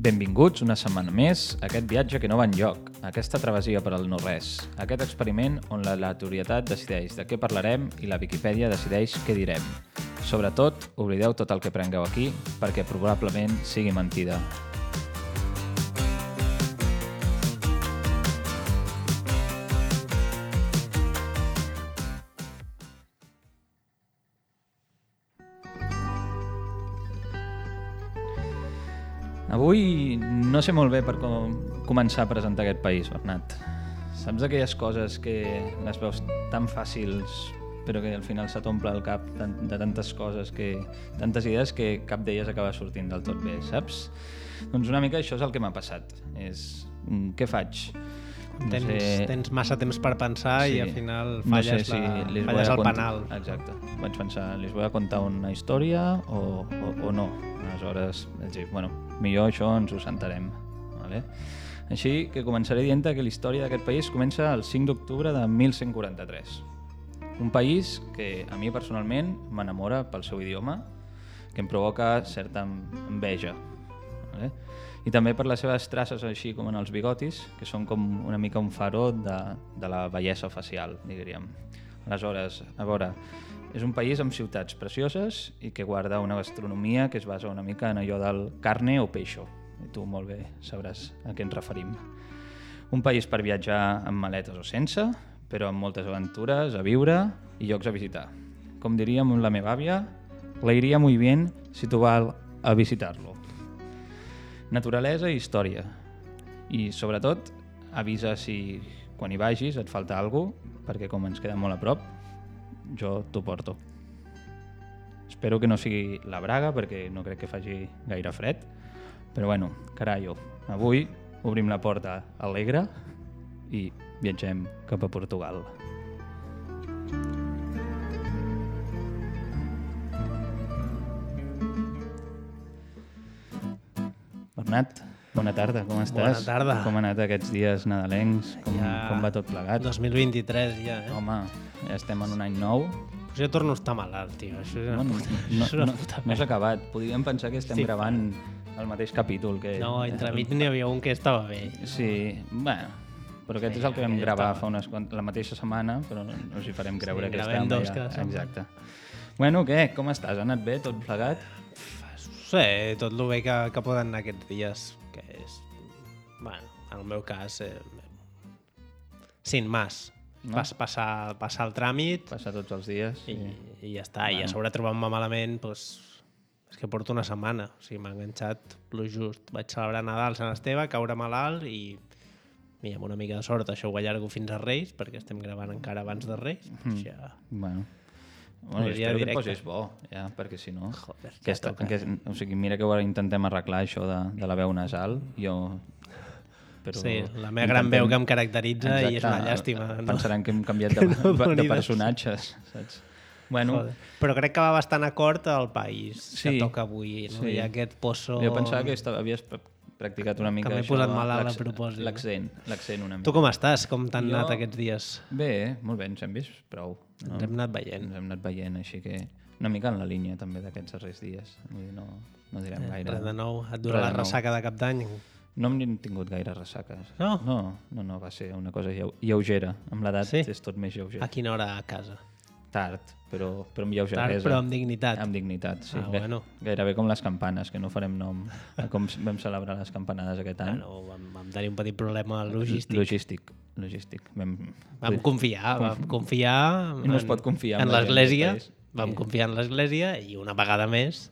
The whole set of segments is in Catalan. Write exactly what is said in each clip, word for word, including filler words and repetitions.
Benvinguts una setmana més a aquest viatge que no va enlloc, a aquesta travessia per al no-res, a aquest experiment on l'aleatorietat decideix de què parlarem i la Viquipèdia decideix què direm. Sobretot, oblideu tot el que prengueu aquí, perquè probablement sigui mentida. Avui no sé molt bé per com començar a presentar aquest país, Bernat. Saps aquelles coses que les veus tan fàcils però que al final se t'omple el cap de tantes coses, que, tantes idees que cap d'elles acaba sortint del tot bé, saps? Doncs una mica això és el que m'ha passat. És, què faig? No tens, sé... tens massa temps per pensar sí. I al final falles, no sé si la, falles el cont... penal. Exacte. Vaig pensar, les vull contar una història o, o, o no? Aleshores, vaig dir, bueno, millor això ens ho sentarem. Vale? Així que començaré dient que la història d'aquest país comença el cinc d'octubre de mil cent quaranta-tres. Un país que a mi personalment m'enamora pel seu idioma, que em provoca certa enveja. Vale? I també per les seves traces així com en els bigotis, que són com una mica un faró de, de la bellesa facial, diríem. Aleshores, a veure, és un país amb ciutats precioses i que guarda una gastronomia que es basa una mica en allò del carne o peixo. I tu molt bé sabràs a què ens referim. Un país per viatjar amb maletes o sense, però amb moltes aventures a viure i llocs a visitar. Com diríem la meva àvia, le iría muy bien si tu vas a visitar-lo. Naturalesa i història. I, sobretot, avisa si quan hi vagis et falta alguna cosa, perquè com ens queda molt a prop, jo t'ho porto. Espero que no sigui la Braga, perquè no crec que faci gaire fred, però bueno, carallo, avui obrim la porta alegre i viatgem cap a Portugal. Bernat, bona tarda, com estàs? Bona tarda. Com han anat aquests dies nadalencs? Com, ja... com va tot plegat? dos mil vint-i-tres ja, eh? Home, ja estem en un any nou. Pues jo torno a estar malalt, tio. Això és una, no, puta, no, això és una no, puta no has acabat. Podríem pensar que estem sí, gravant el mateix capítol. Que... No, entremig n'hi havia un que estava bé. Sí, bueno, però aquest sí, és el que vam gravar estava... fa unes, la mateixa setmana, però no, no us hi farem creure sí, que estem dos ja. Cada Exacte. Bueno, què? Com estàs? Ha anat bé? Tot plegat? Sí, tot el bé que, que poden anar aquests dies, que és, bueno, en el meu cas, eh, sin más. No? Pas, passar, passar el tràmit. Passar tots els dies. I, i... i ja està. Bueno. I a sobre trobar-me malament, doncs, és que porto una setmana. O sigui, m'ha enganxat lo just. Vaig celebrar Nadal, Sant Esteve, caure malalt i, i amb una mica de sort això ho allargo fins a Reis, perquè estem gravant encara abans de Reis. Mm. Ja... Bueno. Bueno, espero que et posis bo, ja, perquè si no... Joder, aquesta, que, o sigui, mira que ara intentem arreglar això de, de la veu nasal. Jo... Però sí, la meva gran veu que em caracteritza. Exacte, i és una llàstima. Pensaran no? que hem canviat de, no de personatges, saps? Bueno, Joder. Però crec que va bastant acord al país sí, que toca avui. No? Sí. Hi ha aquest pozo... Jo pensava que estava, havies practicat una mica que m'he això, posat malalt a propòsit. L'accent, l'accent una mica. Tu com estàs? Com t'han jo... anat aquests dies? Bé, molt bé, ens hem vist prou. No? Ens hem anat veient. Ens hem anat veient, així que una mica en la línia també d'aquests darrers dies. Vull dir, no, no direm eh, gaire. Res de nou. Et dura la ressaca de cap d'any? No hem tingut gaire ressaques. No? No, no, no va ser una cosa lleugera. Amb l'edat sí? és tot més lleuger. A quina hora a casa? Tard, però, però amb lleugeresa. Tard, però amb dignitat. Amb dignitat, sí. Ah, bueno. Gairebé com les campanes, que no farem nom a com vam celebrar les campanades aquest any. Bueno, vam, vam tenir un petit problema logístic. Logístic, logístic. Vam, vam confiar, vam confiar en, no es pot confiar en, en l'església. Vam sí. confiar en l'església i una vegada més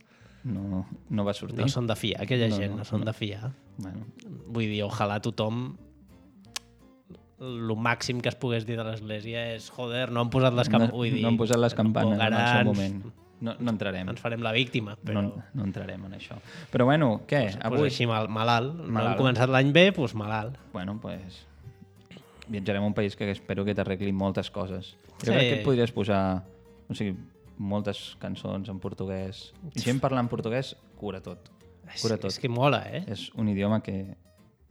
no, no va sortir. No són de fiar, aquella no, gent, no, no són no. de fiar. Bueno. Vull dir, ojalà tothom... el màxim que es pogués dir de l'església és joder, no han posat les campanes. No, no han posat les campanes en el seu moment. No, no entrarem. Ens farem la víctima, però... No, no entrarem en això. Però bueno, què? Pues, avui... pues així mal, malalt. malalt. No hem començat l'any bé, doncs malalt. Bueno, doncs... Viatjarem a un país que espero que t'arregli moltes coses. Jo sí. crec que et podries posar... O sigui, moltes cançons en portuguès. I gent parlant portuguès cura tot. Cura tot. És que mola, eh? És un idioma que...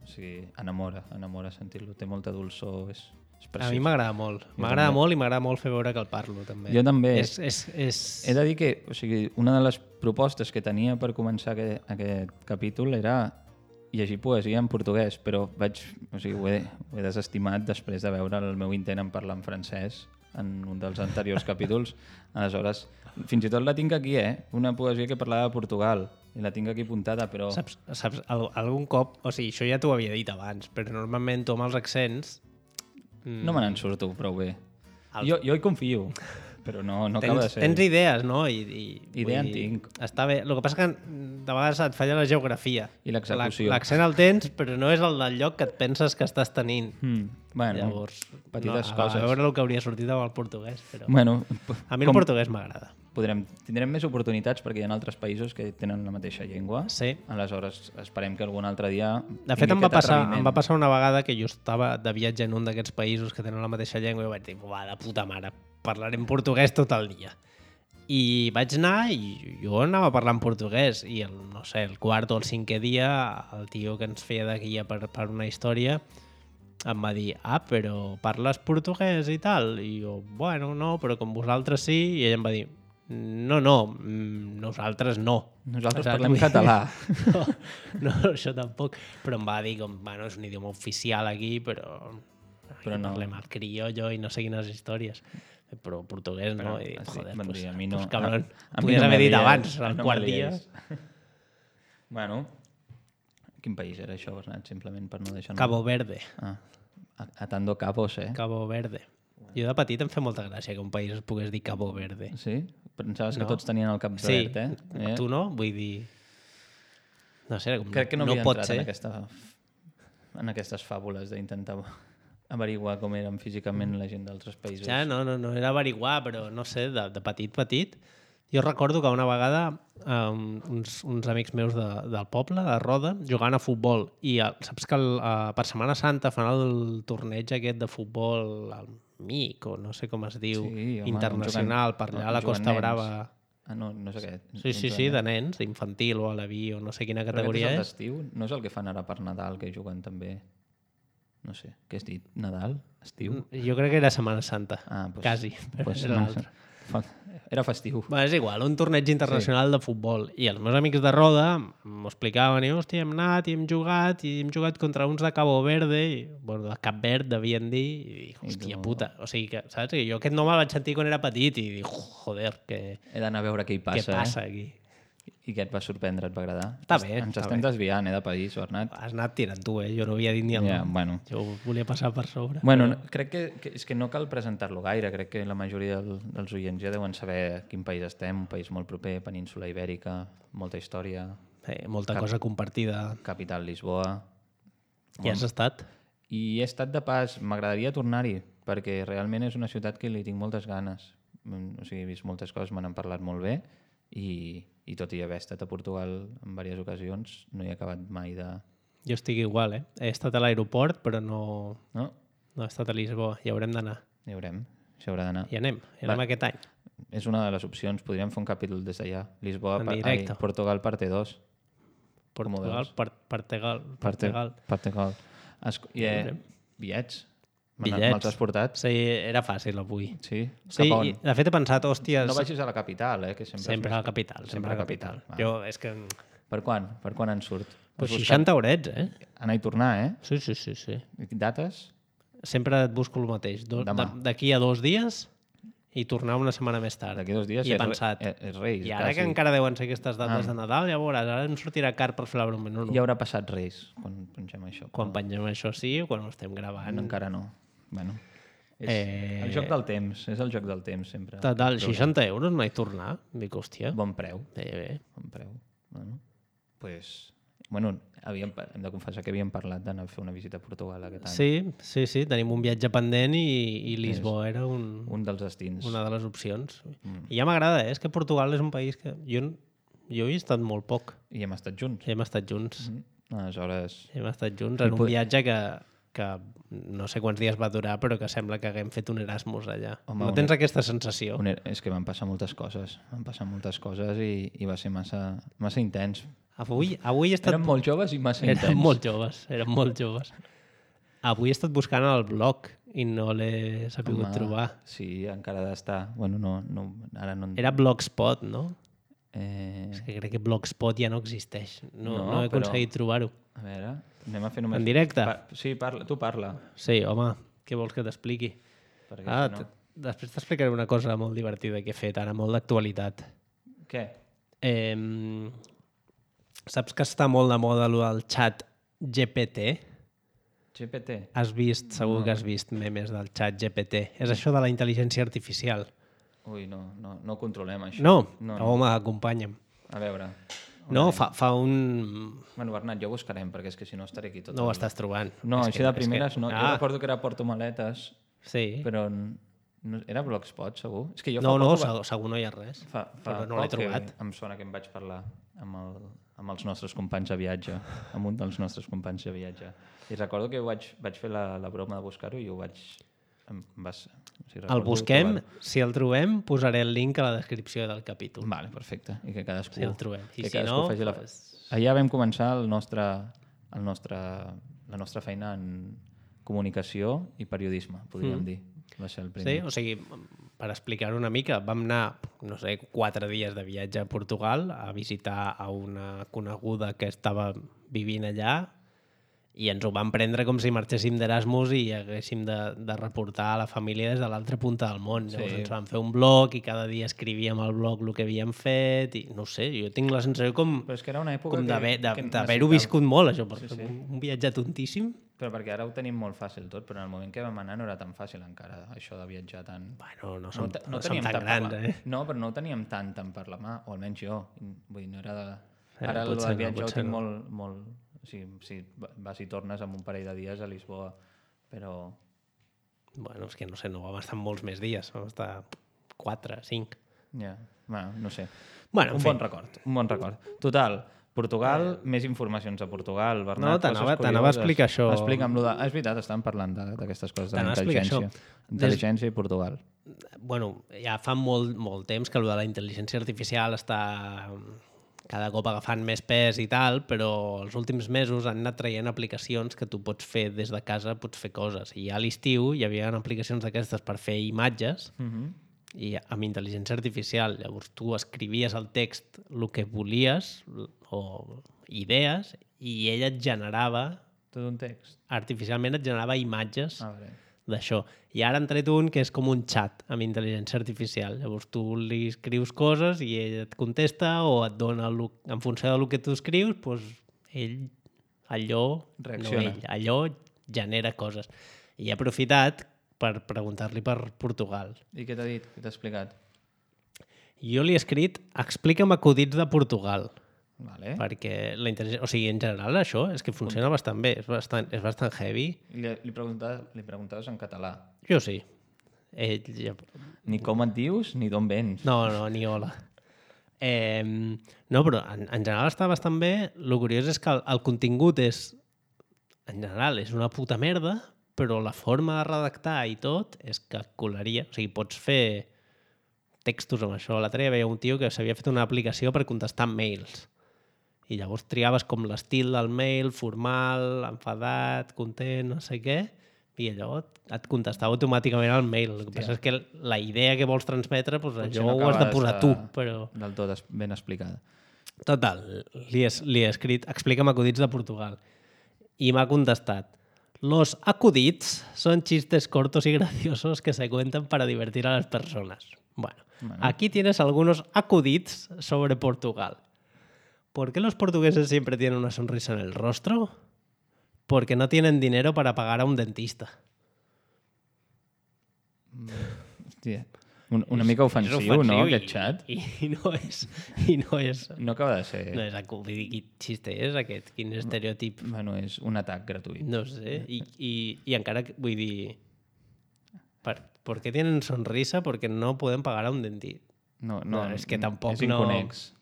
O sigui, enamora, enamora sentir-lo. Té molta dolçor, és, és preciós. A mi m'agrada molt. M'agrada molt i m'agrada molt fer veure que el parlo, també. Jo també. És, és, és... He de dir que, o sigui, una de les propostes que tenia per començar aquest, aquest capítol era llegir poesia en portuguès, però vaig, o sigui, ho, he, ho he desestimat després de veure el meu intent en parlar en francès en un dels anteriors capítols. Aleshores, fins i tot la tinc aquí, eh? Una poesia que parlava de Portugal, i la tinc aquí apuntada, però... Saps, saps al, algun cop... O sigui, això ja t'ho havia dit abans, però normalment tu amb els accents... Mm, no me n'en surto prou bé. El... Jo, jo hi confio. Però no, no tens, acaba de ser... Tens idees, no? I, i, Idea en tinc. Està bé. El que passa que de vegades et falla la geografia. I l'execució. L'accent el tens, però no és el del lloc que et penses que estàs tenint. Mm. Bueno, llavors, petites no, coses. A veure el que hauria sortit amb el portuguès. Però... Bueno, a mi el portuguès m'agrada. Podrem, tindrem més oportunitats perquè hi ha altres països que tenen la mateixa llengua. Sí. Aleshores, esperem que algun altre dia... De fet, em va, passar, em va passar una vegada que jo estava de viatge en un d'aquests països que tenen la mateixa llengua i vaig dir, va, de puta mare, parlarem portuguès tot el dia. I vaig anar i jo anava parlant portuguès i el, no sé, el quart o el cinquè dia el tio que ens feia de guia per, per una història em va dir, ah, però parles portuguès i tal? I jo, bueno, no, però com vosaltres sí. I ell em va dir, no, no, nosaltres no. Nosaltres parlem català. No, no, això tampoc. Però em va dir, com, bueno, és un idioma oficial aquí, però, però no. Parlem al criollo i no sé quines històries. Però portuguès no. Però, I dic, joder, bon pues, dia, a mi no, pues cabron, a, a podies no haver dit lies, abans, al no quart dia. Bueno, quin país era això, Bernat? Simplement per no deixar... Cabo Verde. Ah, atando cabos, eh? Cabo Verde. Jo de petit em fa molta gràcia que un país es pogués dir Cabo Verde. Sí? Pensaves no. que tots tenien el cap sí. verd, eh? eh? Tu no? Vull dir... No sé, com crec que no, no havia pot entrat ser. En, aquesta, en aquestes fàbules d'intentar averiguar com eren físicament la gent d'altres països. Ja, no, no, no era averiguar, però no sé, de, de petit, petit. Jo recordo que una vegada um, uns, uns amics meus de, del poble, de Roda, jugant a futbol. I el, saps que el, uh, per Setmana Santa fan el torneig aquest de futbol, el M I C, o no sé com es diu, sí, home, internacional, per allà a la Costa nens. Brava. Ah, no, no sé què. Sí, sí, sí, de nens, infantil o a la vi o no sé quina categoria és. Però és. aquest és l'estiu? No és el que fan ara per Nadal, que juguen també... No sé, què has dit? Nadal? Estiu? Jo crec que era Setmana Santa. Ah, pues, quasi, però pues, era l'altre. Era festiu. Bé, és igual, un torneig internacional sí. de futbol. I els meus amics de Roda m'ho explicaven i, hòstia, hem anat i hem jugat i hem jugat contra uns de Cabo Verde, i, bueno, de Cap Verd devien dir, i dic, hòstia tu... puta. O sigui, que, saps? Que jo aquest nom el vaig sentir quan era petit i dic, joder, que... He d'anar a veure què hi passa, què passa eh? aquí. I què et va sorprendre? Et va agradar? Està bé. Ens està estem bé. desviant, eh, de país, Bernat. Has anat tirant tu, eh? Jo no havia dit ni el ja, nom. Bueno. Jo volia passar per sobre. Bueno, però... crec que, que, és que no cal presentar-lo gaire. Crec que la majoria del, dels oients ja deuen saber a quin país estem. Un país molt proper, península Ibèrica, molta història. Sí, molta Cap... cosa compartida. Capital Lisboa. I has estat? I he estat de pas. M'agradaria tornar-hi, perquè realment és una ciutat que li tinc moltes ganes. O sigui, he vist moltes coses, me n'han parlat molt bé, i, i tot i haver estat a Portugal en diverses ocasions, no he acabat mai de... Jo estic igual, eh? He estat a l'aeroport, però no... No? No he estat a Lisboa. Hi haurem d'anar. Hi haurem. Hi haurà d'anar. Hi anem. Hi anem Va. aquest any. És una de les opcions. Podríem fer un capítol des d'allà. Lisboa, en per, ai, Portugal, parte dos. Portugal, Portugal, Portugal. Portugal. I eh, bitllets. Bitllets. Me'ls has portat? Sí, era fàcil avui. Sí? Sí, i de fet he pensat, hòsties... No vagis a la capital, eh? Que sempre sempre a la capital, sempre a la capital. capital. Jo, és que... Per quan? Per quan en surt? Pues seixanta horets, eh? Anar i tornar, eh? Sí, sí, sí. sí. Dates? Sempre et busco el mateix. D'aquí a dos dies i tornar una setmana més tard. D'aquí dos dies I he pensat, és, és Reis. I ara quasi. Que encara deuen ser aquestes dates ah. de Nadal, ja veuràs, ara em sortirà car per fer la broma. No, no. Ja haurà passat Reis quan pengem això. Quan no. pengem això sí, o quan ho estem gravant. No, encara no. Bueno... És eh... el joc del temps, és el joc del temps sempre. Total, seixanta euros no hi tornar. Dic, hòstia. Bon preu. Bé, bé. Bon preu. Bueno, pues, bueno havíem, hem de confessar que havíem parlat d'anar a fer una visita a Portugal aquest any. Sí, sí, sí, tenim un viatge pendent i, i Lisboa és era un, un dels destins. Una de les opcions. Mm. I ja m'agrada, eh? És que Portugal és un país que jo, jo hi he estat molt poc. I hem estat junts. Hem estat junts. Mm-hmm. Aleshores... Hem estat junts en un viatge que... que no sé quants dies va durar, però que sembla que haguem fet un Erasmus allà. Home, no tens un, aquesta sensació? Un, és que van passar moltes coses. Van passar moltes coses i, i va ser massa, massa intens. Avui, avui he estat... Érem molt joves i massa intens. Érem molt joves, érem molt joves. Avui he estat buscant el blog i no l'he sabut trobar. Sí, encara ha d'estar. Bueno, no, no, ara no... Era Blogspot, no? Eh... És que crec que Blogspot ja no existeix. No, No, no he però- aconseguit trobar-ho. A veure, anem a fer només... En directe? Pa... Sí, parla, tu parla. Sí, home, què vols que t'expliqui? Perquè Ah, si no... t- després t'explicaré una cosa molt divertida que he fet ara, molt d'actualitat. Què? Eh, saps que està molt de moda allò del xat G P T? G P T? Has vist, segur No. que has vist memes del xat G P T. És això de la intel·ligència artificial. Ui, no, no, no ho controlem, això. No? No, no. no. Home, acompanya'm. A veure... No, fa, fa un... Bueno, Bernat, ja ho buscarem, perquè és que si no estaré aquí tot No ho el... estàs trobant. No, És així que- de és que- primeres no. Jo Ah, recordo que era Porto Maletes, sí. però... n- No, era Blogspot, segur? És que jo No, fa no, poc ho va- segur, segur no hi ha res. Fa, fa però no l'he poc que trobat. em sona que em vaig parlar amb, el, amb els nostres companys de viatge, amb un dels nostres companys de viatge. I recordo que vaig, vaig fer la, la broma de buscar-ho i ho vaig... Em vas, o sigui, El recordo busquem, trobar-ho. si el trobem, posaré el link a la descripció del capítol. Vale, perfecte. I que cadascú... Si el trobem. I que si cadascú no, faci la... pues- Allà vam començar el nostre, el nostre, la nostra feina en comunicació i periodisme, podríem Mm. dir. Va ser el Sí, primer. o sigui, per explicar-ho una mica, vam anar, no sé, quatre dies de viatge a Portugal a visitar a una coneguda que estava vivint allà i ens ho vam prendre com si marxéssim d'Erasmus i haguéssim de, de reportar a la família des de l'altra punta del món. Sí. Llavors ens vam fer un blog i cada dia escrivíem al blog el que havíem fet i no sé, jo tinc la sensació com, Però és que era una època com que, d'haver- de- que d'haver-ho necessitava- viscut molt, això, perquè Sí, sí. un, un viatge tontíssim. Però perquè ara ho tenim molt fàcil tot, però en el moment que vam anar no era tan fàcil encara, això de viatjar tant... Bueno, no som, te- no som teníem tan tant per grans, la- eh? No, però no ho teníem tant, tant per la mà, o almenys jo. Vull dir, no era de... Eh, Ara el potser del no, viatge ho potser tinc no. molt... molt... O sigui, si vas i tornes amb un parell de dies a Lisboa, però... Bueno, és que no sé, no vam estar molts més dies, vam estar quatre, cinc. Ja, bueno, no sé. Bueno, en un fi. bon record, un bon record. Total, Portugal, eh... més informacions de Portugal, Bernat, No, t'anava- coses t'anava a curioses. explicar això. Explica'm lo de... És veritat, estàvem parlant de- d'aquestes coses, de la T'anava a explicar intel·ligència. això. Intel·ligència i Portugal. Bueno, ja fa molt, molt temps que el de la intel·ligència artificial està cada cop agafant més pes i tal, però els últims mesos han anat traient aplicacions que tu pots fer des de casa, pots fer coses. I ja a l'estiu hi havia aplicacions d'aquestes per fer imatges Uh -huh. i amb intel·ligència artificial. Llavors tu escrivies al text el que volies o idees i ella et generava, Tot un text. artificialment et generava imatges A veure. d'això. I ara han tret un que és com un xat amb intel·ligència artificial. Llavors tu li escrius coses i ell et contesta o et dona, el, en funció del que tu escrius, doncs ell, allò, Reacciona. no ell, allò genera coses. I he aprofitat per preguntar-li per Portugal. I què t'ha dit? Què t'ha explicat? Jo li he escrit, explica'm acudits de Portugal, Vale. perquè la intel·ligència... O sigui, en general això és que funciona bastant bé, és bastant, és bastant heavy. I li, li, preguntaves, li preguntaves en català. Jo sí. Ell ja... Ni com et dius, ni d'on vens. No, no, ni hola. Eh, no, però en, en general està bastant bé. El curiós és que el, el contingut és, en general, és una puta merda, però la forma de redactar i tot és que colaria. O sigui, pots fer textos amb això. L'altre dia veia un tio que s'havia fet una aplicació per contestar mails. I llavors triaves com l'estil del mail, formal, enfadat, content, no sé què, i allò et contestava automàticament al mail. El que Hòstia. passa és que la idea que vols transmetre, doncs Potser allò no ho has de acabes posar de- tu, però... Del tot es- ben explicada. Total, li he, li he escrit, explica'm acudits de Portugal. I m'ha contestat, los acuditos son chistes cortos y graciosos que se cuentan para divertir a las personas. Bueno, Bueno. aquí tienes algunos acuditos sobre Portugal. ¿Por qué los portugueses siempre tienen una sonrisa en el rostro? Porque no tienen dinero para pagar a un dentista. Hòstia. Un, una mica ofensiu, És ofensiu no, i- aquest xat? I, i, no és... I no és... No acaba de ser... No és acudit, quin xiste és aquest? Quin estereotip? Bueno, és un atac gratuït. No sé, i, i, i encara, que- vull dir, per, ¿por qué tienen sonrisa? Porque no pueden pagar a un dentista. No, no, No, és que tampoc és no- inconex.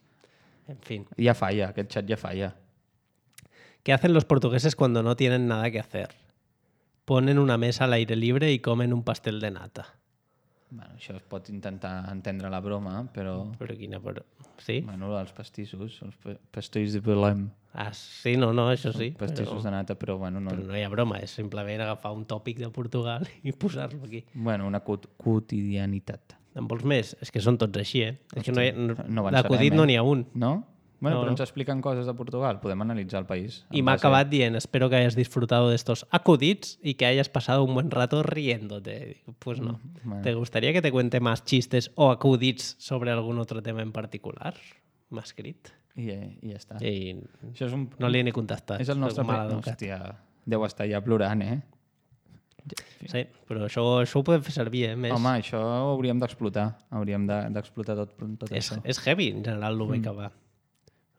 En fin. Ja falla, aquest xat ja falla. ¿Qué hacen los portugueses cuando no tienen nada que hacer? Ponen una mesa al aire libre y comen un pastel de nata. Bueno, això es pot intentar entendre la broma, però... Però quina... Però... Sí? Bueno, els pastissos, els pa- pastills de Belém. Ah, sí, no, no, això sí. Pastissos Però, de nata, però bueno, no... però no hi ha broma, és simplement agafar un tòpic de Portugal i posar-lo aquí. Bueno, una quot- quotidianitat. En vols més? És que són tots així, eh? És que no hi ha, no, no d'acudit avançarem, no eh? n'hi ha un. No? Bueno, No, però no. ens expliquen coses de Portugal. Podem analitzar el país. Y en me ha base- acabado dient, espero que hayas disfrutado de estos acuditos y que hayas pasado un buen rato riéndote. Digo, pues no. Bueno. ¿Te gustaría que te cuente más chistes o acuditos sobre algún otro tema en particular? M'ha escrit. I, eh, I ja està. I Això és un... no li he ni contestat. És el nostre... Soc Pre... maleducat. Hòstia, deu estar ja plorant, eh? Sí, però això, això ho podem fer servir, eh? Més... Home, això ho hauríem d'explotar. Hauríem de- d'explotar tot, tot és, això. és heavy, en general, el bé que va.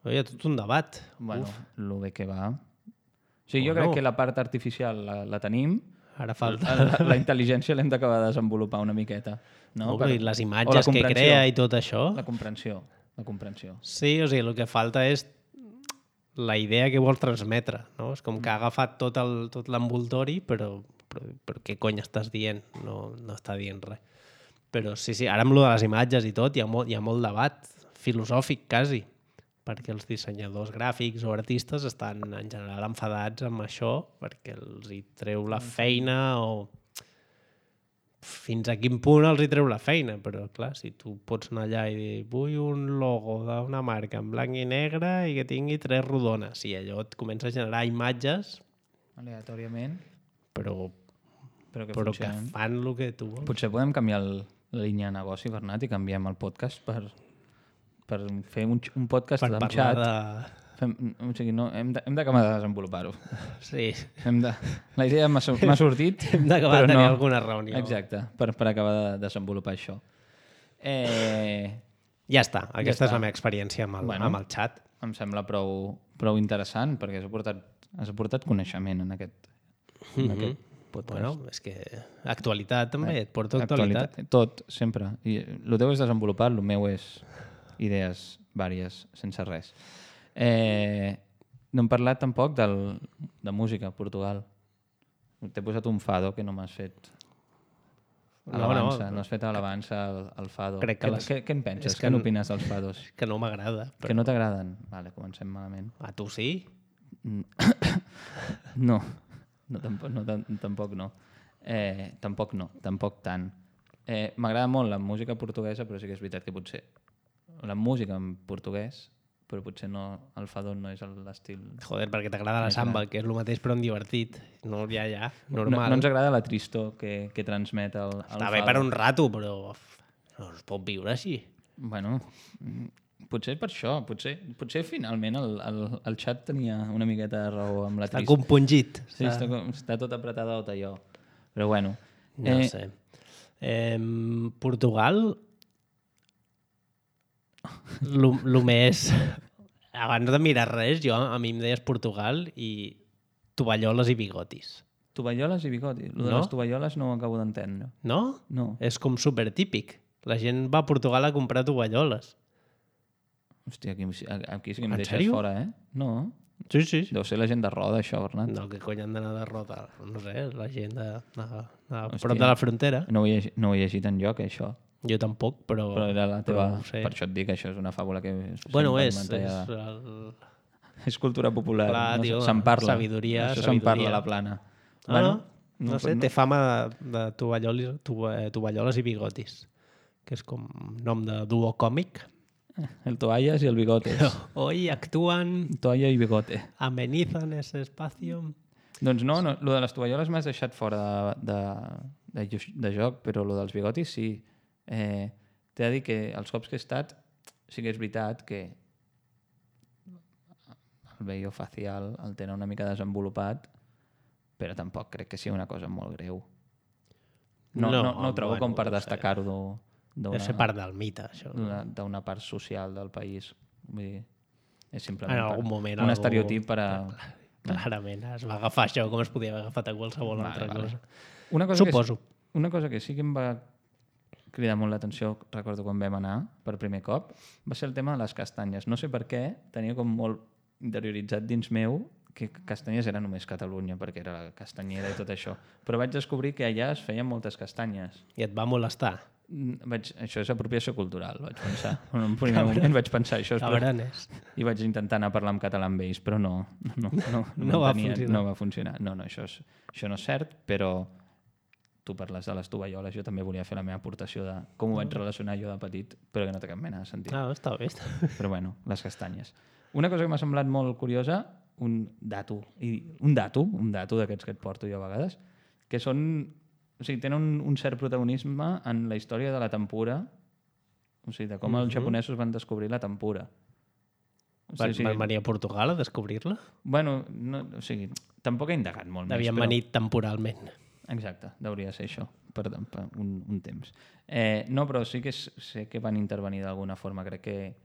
Hi ha tot un debat. Bueno, Uf, el bé que va... O sigui, jo Bueno. crec que la part artificial la, la tenim, ara falta... la, la intel·ligència l'hem d'acabar de desenvolupar una miqueta. No? No, Per- però i les o la imatges que comprensió. crea i tot això... La comprensió. La comprensió. Sí, o sigui, el que falta és la idea que vol transmetre, no? És com que ha agafat tot el- tot l'envoltori, però, però, però què cony estàs dient? No, no està dient res. Però sí, sí, ara amb lo de les imatges i tot hi ha molt, hi ha molt debat filosòfic, quasi, perquè els dissenyadors gràfics o artistes estan en general enfadats amb això perquè els hi treu la feina o fins a quin punt els hi treu la feina, però clar, si tu pots anar allà i dir vull un logo d'una marca en blanc i negre i que tingui tres rodones, i allò et comença a generar imatges, Aleatòriament, però, però que però que funcionen. fan el que tu vols. Potser podem canviar el, la línia de negoci, Bernat, i canviem el podcast per, per fer un, un podcast Per amb parlar xat. de... Fem, o sigui, no, hem de- hem d'acabar de desenvolupar-ho. Sí, Hem de, la idea m'ha sur- m'ha sortit, hem d'acabar però de tenir no. alguna reunió. Exacte, per, per acabar de desenvolupar això. Eh, Ja està, aquesta està. és la meva experiència amb el, Bueno. amb el xat. em sembla prou, prou interessant, perquè has aportat, has aportat coneixement en aquest, en aquest podcast. Bueno, és que actualitat també, et porto actualitat. Tot, sempre. I el teu és desenvolupar, el meu és idees vàries, sense res. Eh, no hem parlat tampoc del, de música a Portugal. T'he posat un fado que no m'has fet No, alabança, no. no, has fet alabança al, al fado. Crec que què, les- què, què en penses? és que Què n- n'opines dels fados? Que no m'agrada. Que no t'agraden? Vale, comencem malament. A tu sí? No, no tampoc no. tam- Tampoc no. Eh, tampoc no, tampoc tant. Eh, M'agrada molt la música portuguesa, però sí que és veritat que potser la música en portuguès, però potser no, el fado no és l'estil... Joder, perquè t'agrada la Més samba, que és el mateix però en divertit. No, ja, ja, No, normal. no ens agrada la tristor que, que transmet el, el Està bé fado. per un rato, però no es pot viure així. Bueno, mm, potser per això, potser, potser finalment el, el, el xat tenia una miqueta de raó amb la Està tristor. compungit. Sí, està, com- està tot apretadot allò. Però bueno. No eh, sé. Eh, Portugal... Lo, lo més... Abans de mirar res, jo, a mi em deies Portugal i tovalloles i bigotis. Tovalloles i bigotis. Lo de No? les tovalloles no ho acabo d'entendre. No? No. És com supertípic. La gent va a Portugal a comprar tovalloles. Hòstia, aquí, aquí sí que em En deixes sèrio? fora, eh? No. Sí, sí. sí. Deu ser la gent de roda, això, Bernat. No, que cony han d'anar de rota? No sé, la gent de, de, de Hòstia. prop de la frontera. No ho he, llegit- no ho he llegit enlloc, això. Jo tampoc, però... Però era la teva... però ho sé. Per això et dic, això és una fàbula que... Bueno, sempre és, és, alimentada. el... És cultura popular. Clar, no? tio, Se'n parla. sabidoria, Això se'n parla sabidoria. a la plana. Ah, no, no sé, té fama de, de tovalloles, tova- tovalloles i bigotis, que és com nom de duo còmic. El toallas i el bigotes. Hoy actúan, Toalla i bigote. amenizan ese espacio. Doncs no, no, lo de les tovalloles m'has deixat fora de, de, de, de joc, però lo dels bigotis sí. Eh, T'he de dir que els cops que he estat sí que és veritat que el vello facial el tenen una mica desenvolupat, però tampoc crec que sigui una cosa molt greu. No, no, no, no ho trobo bueno, com per no sé. destacar-ho Deu ser part del mite, això. d'una d'una part social del país. Vull dir, és simplement En per- algun moment un algú- estereotip per a... Clarament, es va agafar això com es podia haver agafat a qualsevol Vale, altra vale. cosa. Una cosa Suposo. Que, una cosa que sí que em va cridar molt l'atenció, recordo quan vam anar per primer cop, va ser el tema de les castanyes. No sé per què, tenia com molt interioritzat dins meu que castanyes era només Catalunya, perquè era la castanyera i tot això. Però vaig descobrir que allà es feien moltes castanyes. I et va molestar. Mm, Vaig, això és apropiació cultural, vaig pensar. En un primer moment vaig pensar això. és Cabrones. I vaig intentar anar a parlar en català amb ells, però no. No, no, no, No va m'entenien, funcionar. No va funcionar. No, no, això, és, això no és cert, però tu parles de les tovalloles, jo també volia fer la meva aportació de com ho vaig relacionar jo de petit, però que no té cap mena de sentit. Ah, està bé. Però bueno, les castanyes. Una cosa que m'ha semblat molt curiosa, un dato, i un dato, un dato d'aquests que et porto jo a vegades, que són, o sigui, tenen un, un cert protagonisme en la història de la tempura, o sigui, de com mm -hmm. els japonesos van descobrir la tempura. O sigui, van, van venir a Portugal a descobrir-la? Bueno, no, o sigui, tampoc he indagat molt Devien més. Devien venir temporalment. Exacte, hauria de ser això, per, per un, un temps. Eh, no, però sí que sé que van intervenir d'alguna forma, crec que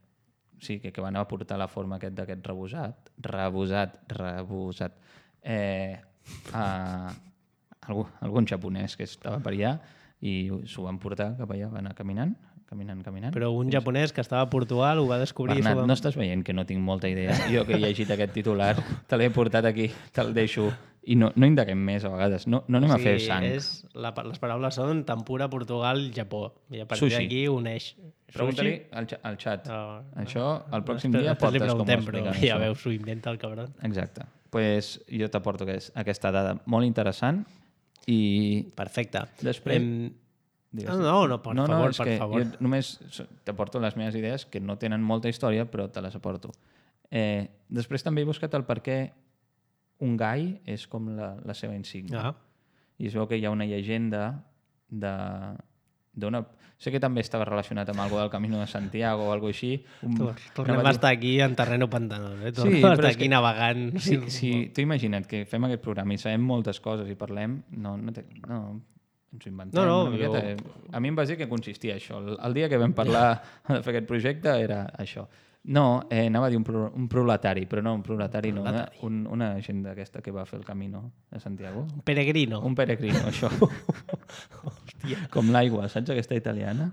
sí, que, que van aportar la forma aquest d'aquest rebosat, rebosat, rebosat, eh, a algú, algun japonès que estava per allà i s'ho van portar cap allà, van anar caminant, caminant, caminant. Però un japonès que estava a Portugal ho va descobrir... Bernat, va... no estàs veient que no tinc molta idea? Jo que he llegit aquest titular, te l'he portat aquí, te'l deixo, i no, no indaguem més a vegades, no, no anem o sigui, a fer sang. És, la, les paraules són tempura, Portugal, Japó, i a partir d'aquí uneix. Pregunta-li al, al xat. Oh, això el pròxim dia portes com ho expliquen. Però ja veus, ho inventa el cabron. Exacte. Doncs pues jo t'aporto aquesta dada molt interessant i... Perfecte. Després... Em... No, no, no, per no, favor, no, és per que favor. Jo només t'aporto les meves idees que no tenen molta història, però te les aporto. Eh, després també he buscat el per què un gai és com la, la seva insígnia. Ah. I es veu que hi ha una llegenda de... d'una... Sé que també estava relacionat amb algo del Camino de Santiago o alguna així. Un... Tornem a estar aquí en terreno pantanós, eh? Tornem sí, a estar aquí que... navegant. Sí, sí, tu imagina't que fem aquest programa i sabem moltes coses i parlem, no, no, té... no ens ho inventem no, no, una miqueta. Jo... A mi em vas dir que consistia això. El, el dia que vam parlar de fer aquest projecte era això. No, eh, anava a dir un, pro, un proletari, però no, un proletari, un proletari. no, una, una gent d'aquesta que va fer el Camino de Santiago. Un peregrino. Un peregrino, això. Hòstia. Com l'aigua, saps aquesta italiana?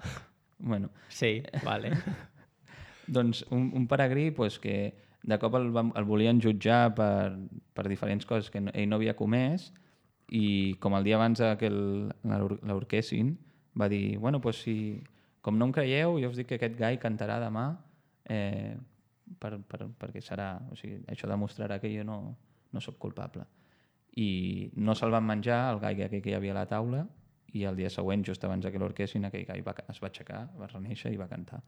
Bueno. Sí, vale. Doncs un, un peregrí pues, que de cop el, el volien jutjar per, per diferents coses que no, ell no havia comès i com el dia abans que l'orquessin va dir, bueno, pues, si, com no em creieu, jo us dic que aquest gai cantarà demà eh, per, per, perquè serà, o sigui, això demostrarà que jo no, no sóc culpable. I no se'l van menjar, el gai que hi havia a la taula, i el dia següent, just abans que l'orquessin, aquell gai va, es va aixecar, va reneixer i va cantar.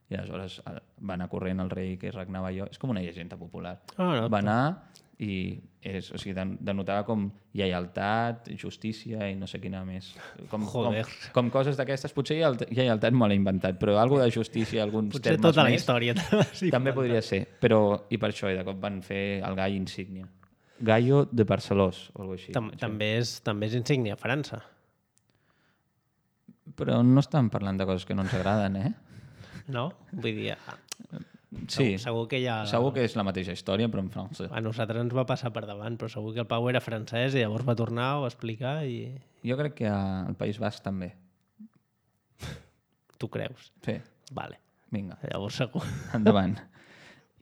I aleshores va anar corrent el rei que regnava allò. És com una llegenda popular. Oh, no, va anar i és, o sigui, denotava com lleialtat, justícia i no sé quina més. Com, com, com coses d'aquestes. Potser lleialtat me l'he inventat, però alguna de justícia, alguns potser termes tota la més, història també podria ser. Però, i per això, i de cop van fer el gall insígnia. Gallo de Barcelós, o alguna cosa així. Tam també, és, també és insígnia a França. Però no estan parlant de coses que no ens agraden, eh? No? Vull dir... Ah, sí, segur, segur que hi ha... Segur que és la mateixa història, però en francès. A nosaltres ens va passar per davant, però segur que el Pau era francès i llavors va tornar, ho va explicar i... Jo crec que al País Basc també. Tu creus? Sí. Vale. Vinga. Llavors segur. Endavant.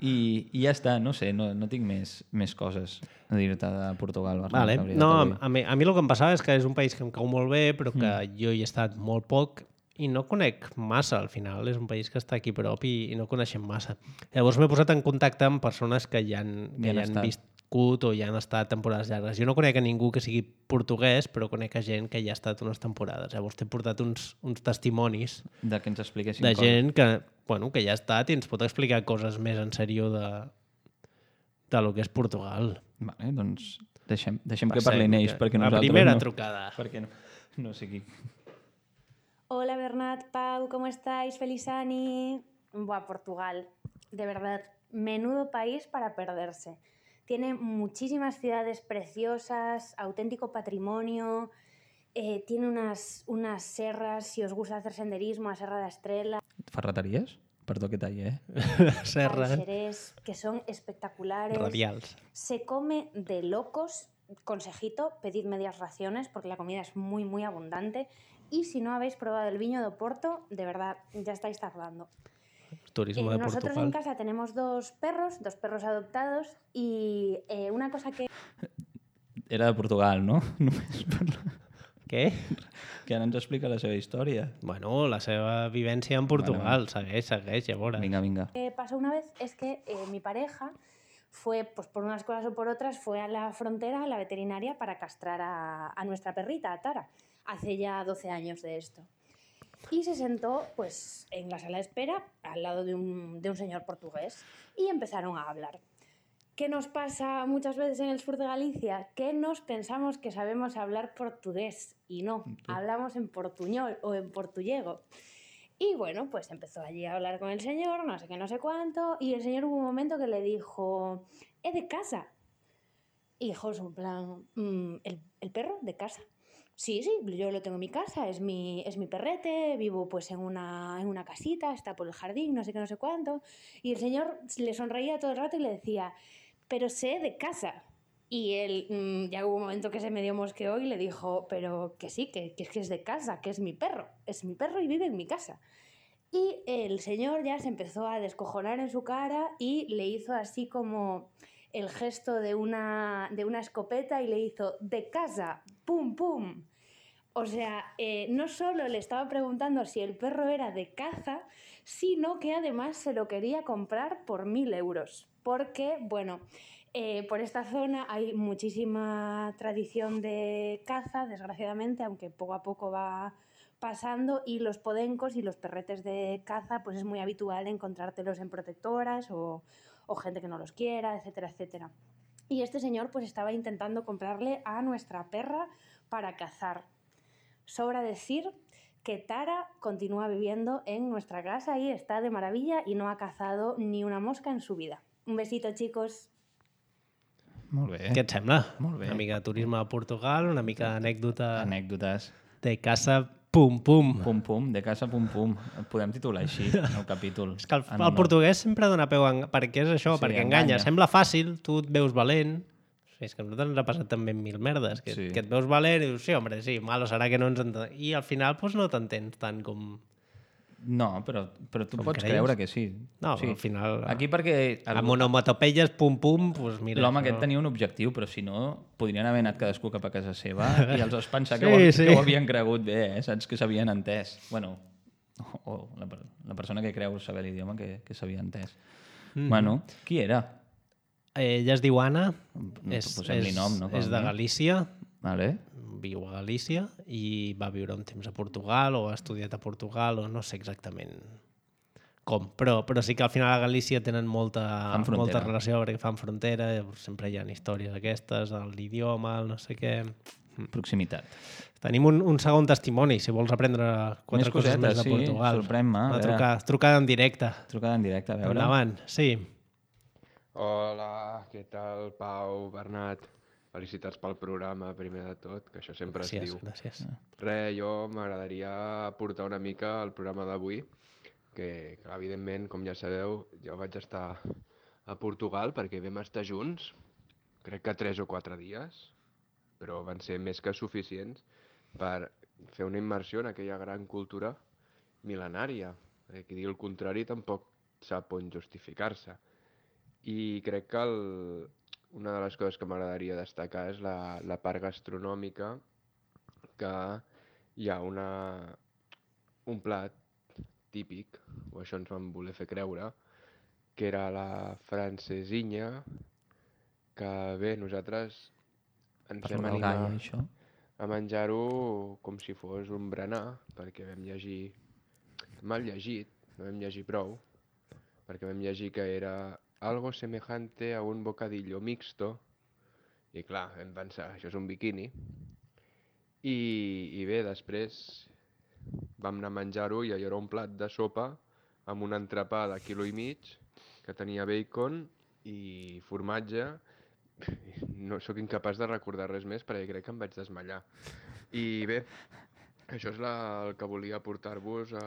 I, i ja està, no sé, no, no tinc més, més coses a dir-te de Portugal. Vale. No, a mi, a mi el que em passava és que és un país que em cau molt bé, però que mm. jo hi he estat molt poc i no conec massa, al final. És un país que està aquí a prop i, i no coneixem massa. Llavors m'he posat en contacte amb persones que ja han, que ja han viscut o ja han estat temporades llargues. Jo no conec a ningú que sigui portuguès, però conec a gent que ja ha estat unes temporades. Llavors t'he portat uns, uns testimonis de que ens expliquessin de coses. gent que, bueno, que ja ha estat i ens pot explicar coses més en sèrio de, de lo que és Portugal. Vale, doncs deixem, deixem que parlin ells, perquè la nosaltres primera no, trucada. Perquè no, no sé qui... Hola Bernat, Pau, ¿cómo estáis? Feliz Ani. Buah, Portugal, de verdad, menudo país para perderse. Tiene muchísimas ciudades preciosas, auténtico patrimonio, eh, tiene unas, unas serras, si os gusta hacer senderismo, a Serra d'Estrela. Ferreteries? Perdó que talli, eh? Serra. Xerés, que son espectaculares. Radials. Se come de locos. Consejito, pedid medias raciones porque la comida es muy, muy abundante. Y si no habéis probado el viño de Oporto, de verdad, ya estáis tardando. Turismo eh, de nosotros Portugal. en casa tenemos dos perros, dos perros adoptados y eh, una cosa que... Era de Portugal, no? Només per... Què? Que ara ens explica la seva història. Bueno, la seva vivència en Portugal. Bueno, segueix, segueix, ja veuràs. Vinga, vinga. Lo que pasó una vez es que eh, mi pareja fue, pues por unas cosas o por otras, fue a la frontera, a la veterinaria, para castrar a, a nuestra perrita, a Tara. hace ya doce años de esto. Y se sentó pues, en la sala de espera al lado de un, de un señor portugués y empezaron a hablar. ¿Qué nos pasa muchas veces en el sur de Galicia? Que nos pensamos que sabemos hablar portugués y no, hablamos en portuñol o en portullego. Y bueno, pues empezó allí a hablar con el señor, no sé qué, no sé cuánto, y el señor hubo un momento que le dijo, ¿es de casa? Y dijo, en plan, "¿El, ¿el perro de casa? Sí, sí, yo lo tengo en mi casa, es mi, es mi perrete, vivo pues en una, en una casita, está por el jardín, no sé qué, no sé cuánto". Y el señor le sonreía todo el rato y le decía, pero sé de casa. Y él mmm, ya hubo un momento que se medio mosqueó y le dijo, pero que sí, que, que es que es de casa, que es mi perro, es mi perro y vive en mi casa. Y el señor ya se empezó a descojonar en su cara y le hizo así como el gesto de una, de una escopeta y le hizo, de casa, pum, pum. O sea, eh, no solo le estaba preguntando si el perro era de caza, sino que además se lo quería comprar por mil euros. Porque, bueno, eh, por esta zona hay muchísima tradición de caza, desgraciadamente, aunque poco a poco va pasando, y los podencos y los perretes de caza, pues es muy habitual encontrártelos en protectoras o, o gente que no los quiera, etcétera, etcétera. Y este señor pues estaba intentando comprarle a nuestra perra para cazar. Sobra decir que Tara continúa viviendo en nuestra casa y está de maravilla y no ha cazado ni una mosca en su vida. Un besito, chicos. Molt bé. Què et sembla? Molt bé. Una mica de turisme a Portugal, una mica d'anècdota Anècdotes. de casa pum pum. Pum pum, de casa pum pum. Podem titular així el capítol. És que el, el portuguès sempre dona peu en... perquè és això, Sí, perquè enganya. enganya. Sembla fàcil, tu et veus valent. Sí, és que a nosaltres ens ha passat també mil merdes, que, Sí. que et veus valent i dius, sí, hombre, sí, malo serà que no ens entenem. I al final pues, no t'entens tant com... No, però, però tu Com pots creus? creure que sí. No, sí. al final... Aquí perquè... El... Amb onomatopeies pum pum, pues mira... L'home això- aquest tenia un objectiu, però si no, podrien haver anat cadascú cap a casa seva i els has pensat Sí, que, ho, sí. que ho havien cregut bé, eh? Saps que s'havien entès. Bueno, o, o la, per- la persona que creu saber l'idioma que, que s'havia entès. Mm. Bueno, qui era? Ella es diu Anna, No, és, posem-li és, nom, no? Com és de a mínim. Galícia, Vale. viu a Galícia i va viure un temps a Portugal o ha estudiat a Portugal o no sé exactament com, però, però sí que al final a Galícia tenen molta, Fan frontera. molta relació perquè fan frontera, llavors sempre hi ha històries aquestes, l'idioma, el no sé què... Proximitat. Tenim un, un segon testimoni, si vols aprendre quatre Més coses cosetes, més de sí, Portugal. sorprèn-me, a Una veure. trucada, trucada en directe. Trucada en directe, a veure. Endavant, sí. Hola, què tal, Pau, Bernat? Felicitats pel programa, primer de tot, que això sempre Gràcies, es diu. gràcies. Re, jo m'agradaria aportar una mica al programa d'avui, que, que evidentment, com ja sabeu, jo vaig estar a Portugal perquè vam estar junts, crec que tres o quatre dies, però van ser més que suficients per fer una immersió en aquella gran cultura mil·lenària. Eh, Qui digui el contrari tampoc sap on justificar-se. I crec que el, una de les coses que m'agradaria destacar és la, la part gastronòmica, que hi ha una, un plat típic, o això ens van voler fer creure, que era la francesinha, que bé, nosaltres ens Per vam el animar gall, això. a menjar-ho com si fos un berenar, perquè vam llegir, mal llegit, no vam llegir prou, perquè vam llegir que era algo semejante a un bocadillo mixto, i clar, vam pensar, això és un biquini, i, i bé, després vam anar a menjar-ho i allò era un plat de sopa amb un entrepà de quilo i mig, que tenia bacon i formatge. No sóc incapaç de recordar res més perquè crec que em vaig desmallar. I bé, això és la, el que volia portar-vos a,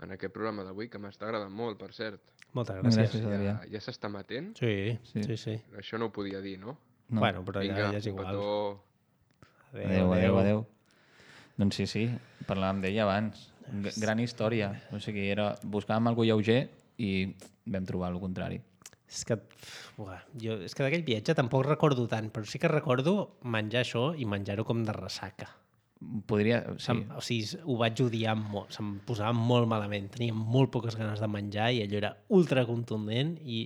en aquest programa d'avui, que m'està agradant molt, per cert. Moltes gràcies. Gràcies, Adrià. Ja, ja s'està matent? Sí, Sí. sí, sí. Això no ho podia dir, no? No. Bueno, però ja, Vinga, ja és un igual. petó. Adéu, adéu, adéu. Doncs sí, sí, parlàvem d'ella abans. G gran història. O sigui, era, buscàvem algú lleuger i vam trobar el contrari. És que, uah, jo, és que d'aquell viatge tampoc recordo tant, però sí que recordo menjar això i menjar-ho com de ressaca. podria... Sí. Se'm, o sigui, ho vaig odiar molt, se'm posava molt malament, tenia molt poques ganes de menjar i allò era ultra contundent i...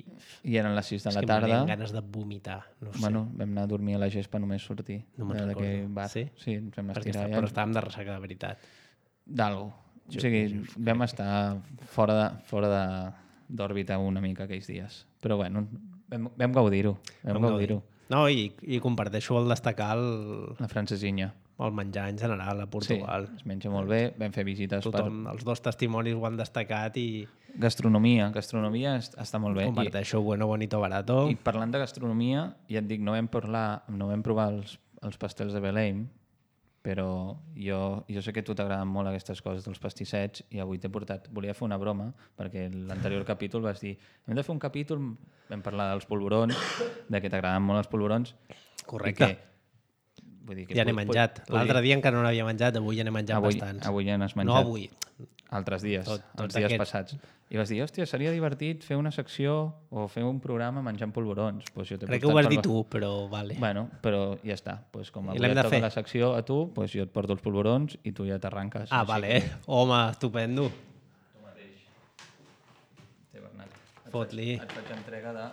I eren les sis de és la que tarda. em venien ganes de vomitar, no sé. Bueno, vam anar a dormir a la gespa només sortir. No me'n d'aquell recordo. bar. Sí? Sí, ens vam Perquè estirar. està, però estàvem de ressaca de veritat. D'algo. O sigui, vam estar fora de, fora de, d'òrbita una mica aquells dies. Però bueno, vam, vam gaudir-ho. Vam, vam gaudir-ho. No, i, i comparteixo el destacar el, La francesinha. el menjar en general a Portugal. Sí, es menja molt bé. Vam fer visites Tothom, per... els dos testimonis ho han destacat i Gastronomia. Gastronomia est- està molt bé. comparteixo bueno, bonito, barato. I, I parlant de gastronomia, ja et dic, no vam parlar, no vam provar els, els pastels de Belém, però jo, jo sé que a tu t'agraden molt aquestes coses dels pastissets i avui t'he portat... Volia fer una broma, perquè l'anterior capítol vas dir hem de fer un capítol, vam parlar dels polvorons, de que t'agraden molt els polvorons. Correcte. I que, vull dir que Ja n'he pod- menjat. pod- L'altre podria- dia encara no n'havia menjat, avui ja n'he menjat avui, bastants. avui ja n'has menjat. No avui. Altres dies, Tot- tots els dies aquests. passats. I vas dir, hòstia, seria divertit fer una secció o fer un programa menjant polvorons. Pues jo t'he Crec que ho portat vas dir per- tu, però vale. Bueno, però ja està. Pues com I avui l'hem et de toca fer? la secció a tu, pues jo et porto els polvorons i tu ja t'arranques. Ah, Així vale. que- Eh? Home, estupendo. Té, Bernat. Et Fot-li. faig- Et faig entrega de...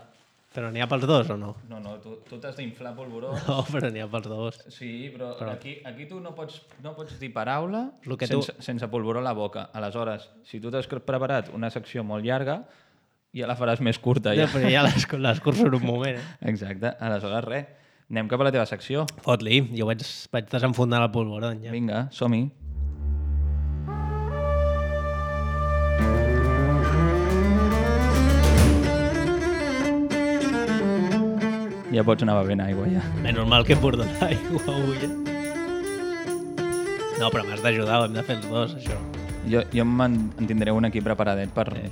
Però n'hi ha pels dos o no? No, no, tu, tu t'has d'inflar polvorons. No, però n'hi ha pels dos. Sí, però, però... Aquí, aquí tu no pots, no pots dir paraula Lo que tu- sense, sense polvoró a la boca. Aleshores, si tu t'has preparat una secció molt llarga, ja la faràs més curta. Ja. Ja. Però ja les, les curso en un moment. Eh? Exacte. Aleshores, res. Anem cap a la teva secció. Fot-li, jo vaig, vaig desenfundar el polvoron. Ja. Vinga, som-hi. Ja pots anar bevent aigua, ja. Menys mal que he portat aigua avui. Eh? No, però m'has d'ajudar, ho hem de fer els dos, això. Jo, jo me'n en tindré un aquí preparadet per, Eh,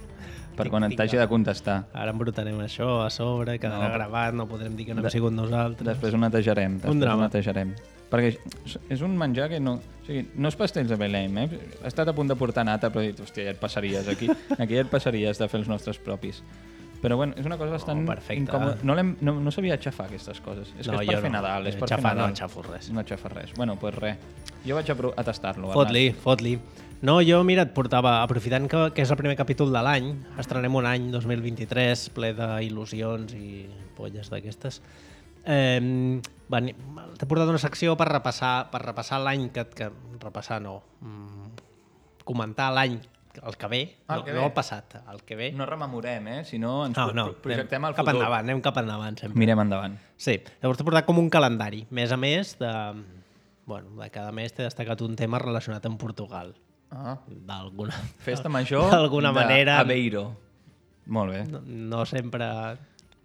per tinc- quan tinc t'hagi de contestar. Ara embrutarem això a sobre, quedarà No. gravat, no podrem dir que no hem De- sigut nosaltres. Després ho netejarem. Després Un drama. Ho netejarem. Perquè és- és un menjar que no... O sigui, no és pastels de Belém, eh? He estat a punt de portar nata, però he dit, hòstia, ja et passaries aquí. Aquí ja et passaries de fer els nostres propis. Però bueno, és una cosa bastant perfecte. incòmoda. No, l'hem- no, no sabia aixafar aquestes coses. És que és per jo fer no. Nadal. És per Xafar fer no Nadal. xafo res. No aixafar res. Bueno, doncs pues res. Jo vaig a, pro- a tastar-lo. Fot-li, fot-li. No, jo, mira, et portava, aprofitant que, que és el primer capítol de l'any, estrenem un any dos mil vint-i-tres ple d'il·lusions i polles d'aquestes. Eh, veni- T'he portat una secció per repassar, per repassar l'any que, que... Repassar no. Mm, comentar l'any, el que ve, Ah, el no, que no ve. el passat, el que ve. No rememorem, eh? Si no, ens no, pro- no, pro- projectem anem al cap futur. endavant, anem cap endavant sempre. Mirem endavant. Sí, llavors t'he portat com un calendari. Mes a mes, de, bueno, de cada mes t'he destacat un tema relacionat amb Portugal. Ah. D'alguna Festa major d'alguna manera. Aveiro. Molt bé. No, no sempre...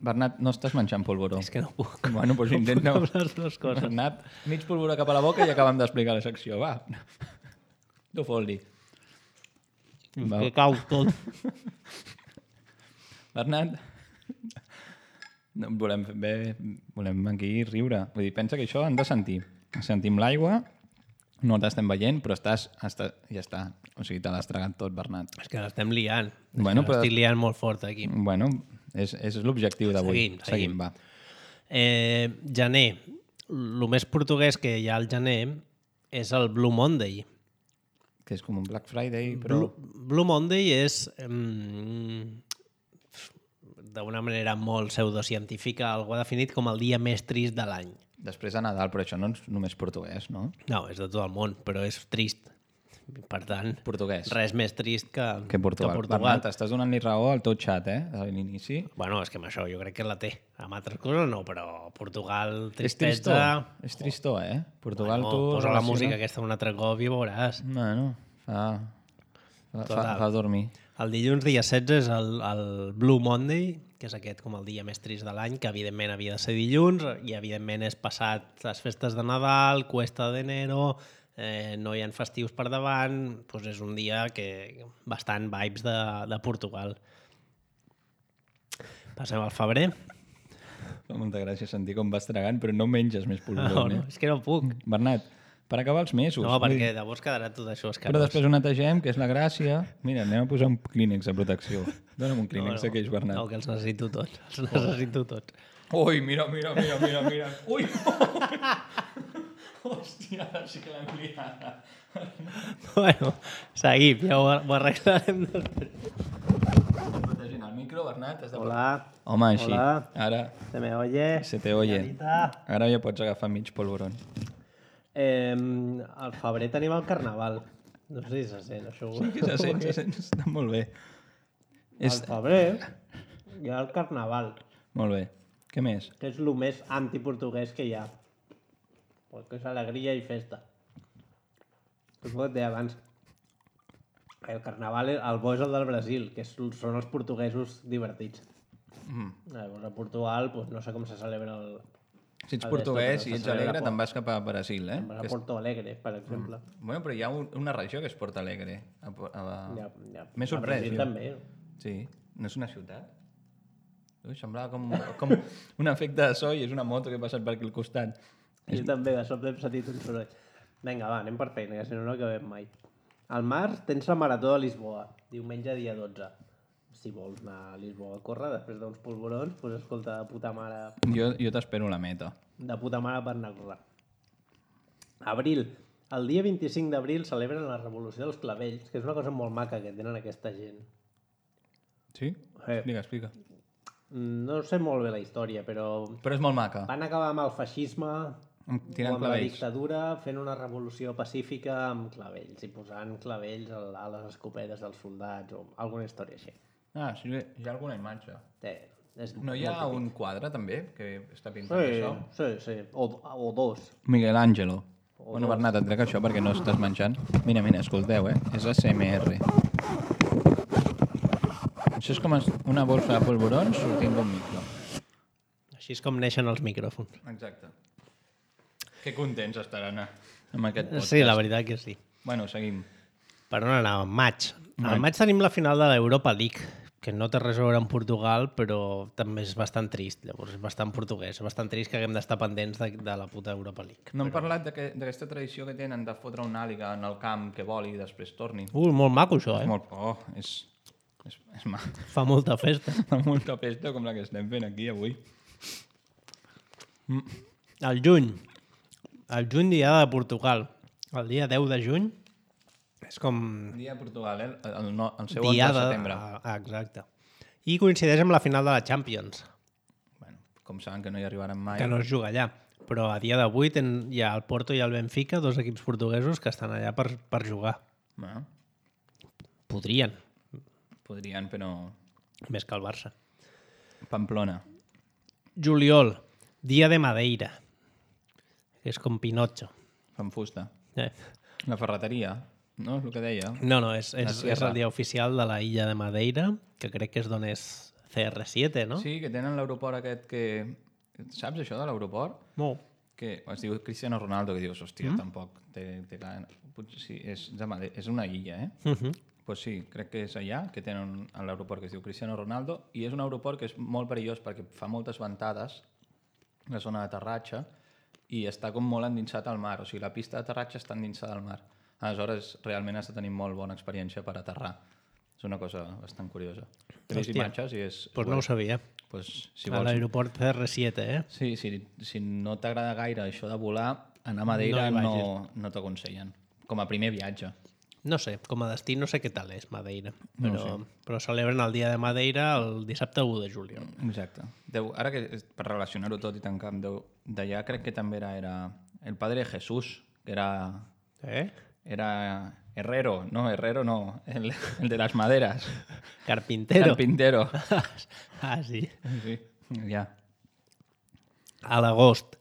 Bernat, no estàs menjant polvoró. És que no puc. Bueno, doncs intenta... No puc les dues coses. Bernat, mig polvoró cap a la boca i acabem d'explicar la secció. Va. Tu fot-li. Va. Que cau tot. Bernat, no, volem, bé, volem aquí riure. Vull dir, pensa que això han de sentir. Sentim l'aigua, no t'estem veient, però estàs, estàs... Ja està. O sigui, te l'has tragat tot, Bernat. És que l'estem liant. És Bueno, que però- l'estic liant molt fort aquí. Bueno, és, és l'objectiu d'avui. Seguim, seguim. va. Eh, gener. El més portuguès que hi ha al gener és el Blue Monday. Que és com un Black Friday, però... Blue, Blue Monday és, mm, d'una manera molt pseudocientífica, algú ha definit com el dia més trist de l'any. Després de Nadal, però això no és només portuguès, no? No, és de tot el món, però és trist. Per tant, Portuguès. res més trist que, Que Portugal. Que Portugal. Bernat, estàs donant-li raó al teu xat, eh? A l'inici. Bueno, és que amb això jo crec que la té. Amb altres coses no, però Portugal, És tristor. tristesa... És tristor, eh? Portugal, no, tu... posa la relaciona- música aquesta un altre cop i veuràs. Bueno, fa... Fa, fa, Total. fa dormir. El dilluns dia setze és el, el Blue Monday, que és aquest com el dia més trist de l'any, que evidentment havia de ser dilluns, i evidentment és passat les festes de Nadal, Cuesta d'Enero, eh, no hi ha festius per davant, doncs és un dia que bastant vibes de, de Portugal. Passem al febrer. Fa molta gràcia sentir com vas tragant, però no menges més polvoró, No, no, eh? és que no puc. Bernat, per acabar els mesos. No, vull perquè dir, llavors quedarà tot això Però escarós. després ho netegem, que és la gràcia. Mira, anem a posar un clínex de protecció. Dóna'm un clínex d'aquells, Bernat. No, que els necessito tots. Els necessito tots. Ui, mira, mira, mira, mira, mira. Ui! Hòstia, ara sí que l'hem liat. Bueno, seguim, ja ho, ho arreglarem després. Protegint el micro, Bernat. Has de... Hola. Home, així. Hola. Ara Se me oye? se te oye. Señorita. Ara ja pots agafar mig polvoron. Eh, al febrer tenim el carnaval. No sé si se sent, això. Sí que se sent, se sent. Està molt bé. Al febrer hi ha el carnaval, Molt bé. Què més? que és el més antiportuguès que hi ha. Perquè és alegria i festa. És el que et deia abans. El carnaval, el bo és el del Brasil, que és, són els portuguesos divertits. Mm. Llavors, a Portugal, pues, no sé com se celebra el... Si ets el portuguès d'esto, i però ets se celebra alegre, poc. te'n vas cap a Brasil, eh? A Que és... Porto Alegre, per exemple. Bueno, però hi ha un, una regió que és Porto Alegre. A, a... Ja, ja. M'he A sorprès. Brasil jo. també. Sí. No és una ciutat? Ui, semblava com, com un efecte de so i és una moto que ha passat per aquí al costat. Jo també, de sobte hem sentit un soroll. Vinga, va, anem per feina, que si no no acabem mai. Al març tens la Marató de Lisboa, diumenge dia dotze. Si vols anar a Lisboa a córrer després d'uns polvorons, doncs escolta, de puta mare, Jo, jo t'espero a la meta. de puta mare per anar a córrer. Abril. El dia vint-i-cinc d'abril celebren la Revolució dels Clavells, que és una cosa molt maca que tenen aquesta gent. Sí? Eh. Explica, explica. No sé molt bé la història, però Però és molt maca. van acabar amb el feixisme Tirant o amb la clavells. dictadura fent una revolució pacífica amb clavells i posant clavells a a les escopetes dels soldats o alguna història així. Ah, sí, hi ha alguna imatge. Té, és No hi ha molt un quadre, també, que està típic. pintat Sí, això? sí, sí. O, o dos. Miguel Ángelo. O Bueno, dos. Bernat, et trec això perquè no estàs menjant. Mira, mira, escolteu, eh? És A S M R. Això és com es- una bolsa de polvorons sortint d'un micro. Així és com neixen els micròfons. Exacte. Que contents estaran eh, amb aquest podcast. Sí, la veritat que sí. Bueno, seguim. Per on anàvem? Maig. Maig. Al maig tenim la final de l'Europa League, que no té res a veure amb Portugal, però també és bastant trist. Llavors és bastant portuguès. És bastant trist que haguem d'estar pendents de, de la puta Europa League. No hem parlat d'aquest- d'aquesta tradició que tenen de fotre una àliga en el camp que voli i després torni. Ui, molt maco això, eh? És molt... Oh, és... És, és ma... Fa molta festa. Fa molta festa com la que estem fent aquí avui. El juny. El juny, dia de Portugal. El dia deu de juny és com Dia de Portugal, eh? El, el, no, el seu onze dia de de... setembre. Ah, exacte. I coincideix amb la final de la Champions, Bueno, com saben que no hi arribaran mai. que no es juga allà. Però a dia d'avui ten- hi ha el Porto i el Benfica, dos equips portuguesos que estan allà per, per jugar. Bueno, Podrien, podrien, però... més que el Barça. Pamplona. Juliol, dia de Madeira, que és com Pinocho. Fan fusta. Eh. La ferreteria, no? És el que deia. No, no, és, La és, sierra. és el dia oficial de la illa de Madeira, que crec que és d'on és C R siete, no? Sí, que tenen l'aeroport aquest que... Saps això de l'aeroport? No. Que es diu Cristiano Ronaldo, que dius, hòstia, mm? tampoc té, té clar... Potser sí, és, de Made... és una illa, eh? Uh -huh. Pues sí, crec que és allà, que tenen l'aeroport que es diu Cristiano Ronaldo, i és un aeroport que és molt perillós perquè fa moltes ventades, la zona d'aterratge, i està com molt endinsat al mar, o sigui, la pista d'aterratge està endinsada al mar. Aleshores, realment has de tenir molt bona experiència per aterrar. És una cosa bastant curiosa. He vist Hòstia. imatges i és... Pues no ho sabia. Pues, si A vols... l'aeroport C R siete, eh? Sí, sí, si no t'agrada gaire això de volar, anar a Madeira No hi no, no, t'aconsellen. Com a primer viatge. No sé, com a destí no sé què tal és Madeira, No ho però, però celebren el dia de Madeira el dissabte u de juliol. Exacte. Deu, ara que és- per relacionar-ho tot i tancar amb Déu, d'allà crec que també era, era el padre Jesús, que era, Eh? era Herrero, no, Herrero no, el, el de las maderas. Carpintero. Carpintero. Ah, sí. Sí, ja. A l'agost.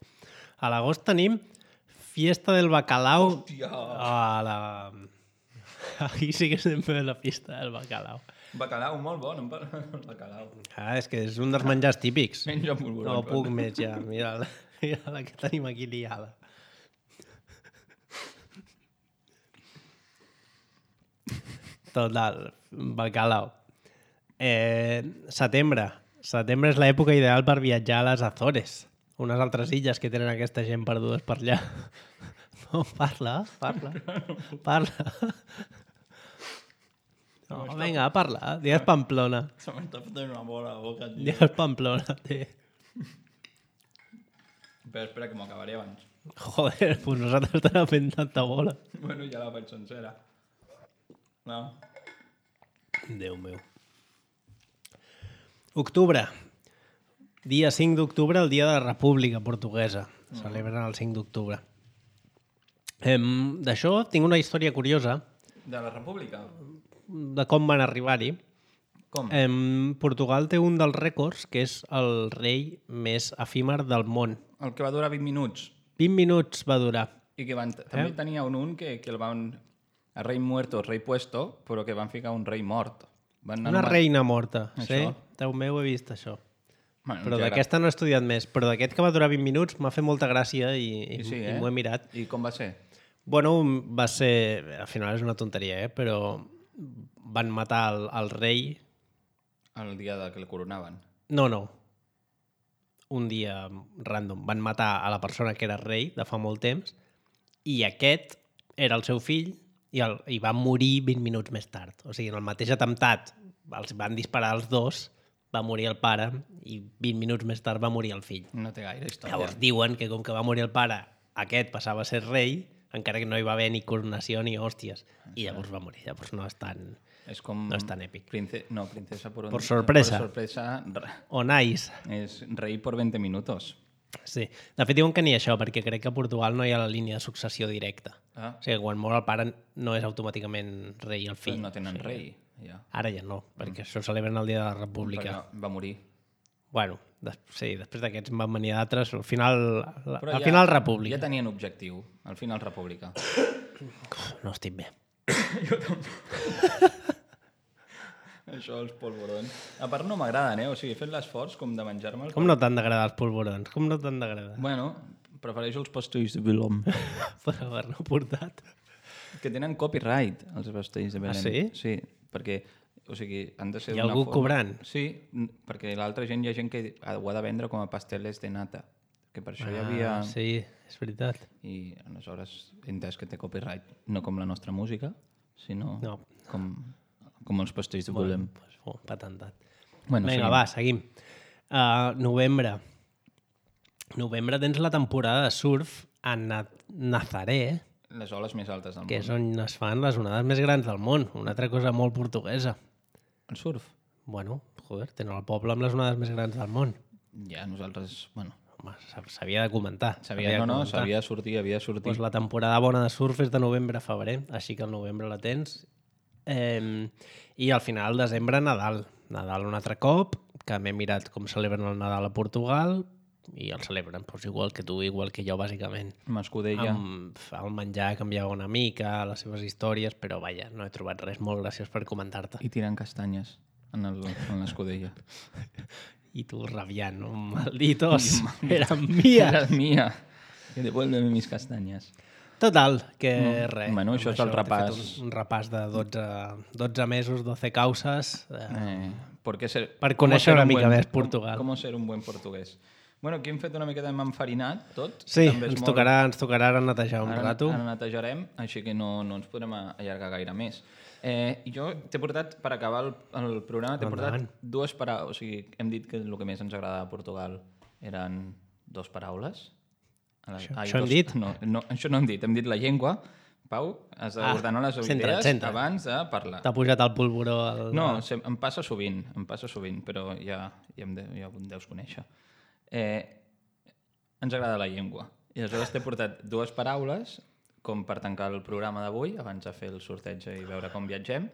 A l'agost tenim Fiesta del Bacalao. Hòstia! A la... Aquí sí que estem fent la fiesta del bacalao. Bacalao, molt bon, em parla del bacalao. Ah, és que és un dels menjars típics. Menja polvorons. No puc més ja. Mira la, mira la que tenim aquí liada. Total, bacalao. Eh, setembre. Setembre és l'època ideal per viatjar a les Azores, unes altres illes que tenen aquesta gent perdudes per allà. No, parla, parla, parla. No, vinga, parla. Digues Pamplona. Se m'està fotent una bola a la boca, tio. Digues Pamplona, té. Però espera, que m'ho acabaré abans. Joder, pues nosaltres t'hem fent tanta bola. Bueno, ja la faig sencera. No. Déu meu. Octubre. Dia cinc d'octubre, el dia de la República Portuguesa. Celebren el cinc d'octubre. Em, D'això tinc una història curiosa De la República? de com van arribar-hi. Com? Em, Portugal té un dels rècords, que és el rei més efímer del món. El que va durar vint minuts. vint minuts va durar. I que van, també tenia un un que, que el van... El rei muerto, el rei puesto, però que van ficar un rei mort. Van Una reina morta. Això. Sí? Déu meu, he vist això. Bueno, Però que d'aquesta no he estudiat més. Però d'aquest que va durar vint minuts m'ha fet molta gràcia i, i, I sí, i eh? m'ho he mirat. I com va ser? Bueno, va ser... Al final és una tonteria, eh? Però van matar el, el rei... El dia de que el coronaven. No, no. Un dia random. Van matar a la persona que era rei de fa molt temps i aquest era el seu fill i, el, i va morir vint minuts més tard. O sigui, en el mateix atemptat els van disparar els dos, va morir el pare i vint minuts més tard va morir el fill. No té gaire història. Llavors diuen que com que va morir el pare, aquest passava a ser rei, encara que no hi va haver ni coronació ni hòsties. I llavors va morir. Llavors no és tan, és com... no és tan èpic. Prince... No, princesa por... Por sorpresa. Por sorpresa. re- O nice. És rei por veinte minutos. Sí. De fet, diuen que ni això, perquè crec que a Portugal no hi ha la línia de successió directa. Ah, O sigui, quan mor el pare no és automàticament rei el però fill. no tenen rei. Ja. Ara ja no, perquè això ho celebren el dia de la República. Perquè va morir. Bueno, des, sí, després d'aquests en van venir d'altres. Al final, la, Però al ja, final República. Ja tenien objectiu. Al final República. No estic bé. Això, els polvorons. A part no m'agraden, eh? O sigui, he fet l'esforç com de menjar-me'ls. Com no t'han d'agradar els polvorons? Com no t'han d'agradar? Bueno, prefereixo els pastells de Belém. Per haver-ne portat. Que tenen copyright, els pastells de Belém. Ah, sí? Sí, perquè, o sigui, han de ser Hi ha d'una algú forma- cobrant? Sí, n- perquè l'altra gent hi ha gent que ho ha de vendre com a pasteles de nata. Que per això hi havia... Ah, sí, és veritat. I aleshores he entès que té copyright, no com la nostra música, sinó No. com, com els pastells de Belém. Pues, oh, patentat. Bueno, Vinga, seguim. va, seguim. Uh, novembre. Novembre tens la temporada de surf a Na Nazaré, Les oles més altes del que és món. on es fan les onades més grans del món. Una altra cosa molt portuguesa. El surf? Bueno, joder, tenen el poble amb les onades més grans del món. Ja, nosaltres... Bueno, Home, s'havia de comentar. sabia, no, no, s'havia de sortir, havia de sortir. Pues la temporada bona de surf és de novembre a febrer, així que al novembre la tens. Eh, I al final, desembre, Nadal. Nadal un altre cop, que m'he mirat com celebren el Nadal a Portugal, i el celebren pues, igual que tu, igual que jo, bàsicament. Mascudella. Amb el menjar canviava una mica, les seves històries, però vaja, no he trobat res molt graciós per comentar-te. I tirant castanyes en el- en l'escudella. I tu rabiant, no? Malditos, eren mia. Era mía. Que devuélveme mis castañas. Total, que res. Bueno, això Amb és el t'he fet repàs. Un, un repàs de dotze, dotze mesos, doce causes. Eh, Eh, porque ser, Per cómo conèixer ser una un mica buen- més Portugal. Com, com ser un buen portuguès. Bueno, aquí hem fet una miqueta enfarinat, tot. sí, També és ens molt- tocarà, ens tocarà ara netejar un Ara, rato. ara netejarem, així que no, no ens podrem allargar gaire més. Eh, i jo t'he portat, per acabar el, el programa, t'he portat Endavant. dues paraules. O sigui, hem dit que el que més ens agradava a Portugal eren dos paraules. A la- Això- ai, això hem dos- dit? No, no, això no hem dit. Hem dit la llengua. Pau, has Ah, d'ordenar les centra't, idees centra't. abans de parlar. T'ha pujat el polvoró. Al... No, se, em passa sovint, em passa sovint, però ja, ja, em, de, ja em deus conèixer. Eh, ens agrada la llengua. I aleshores t'he portat dues paraules com per tancar el programa d'avui, abans de fer el sorteig i veure com viatgem,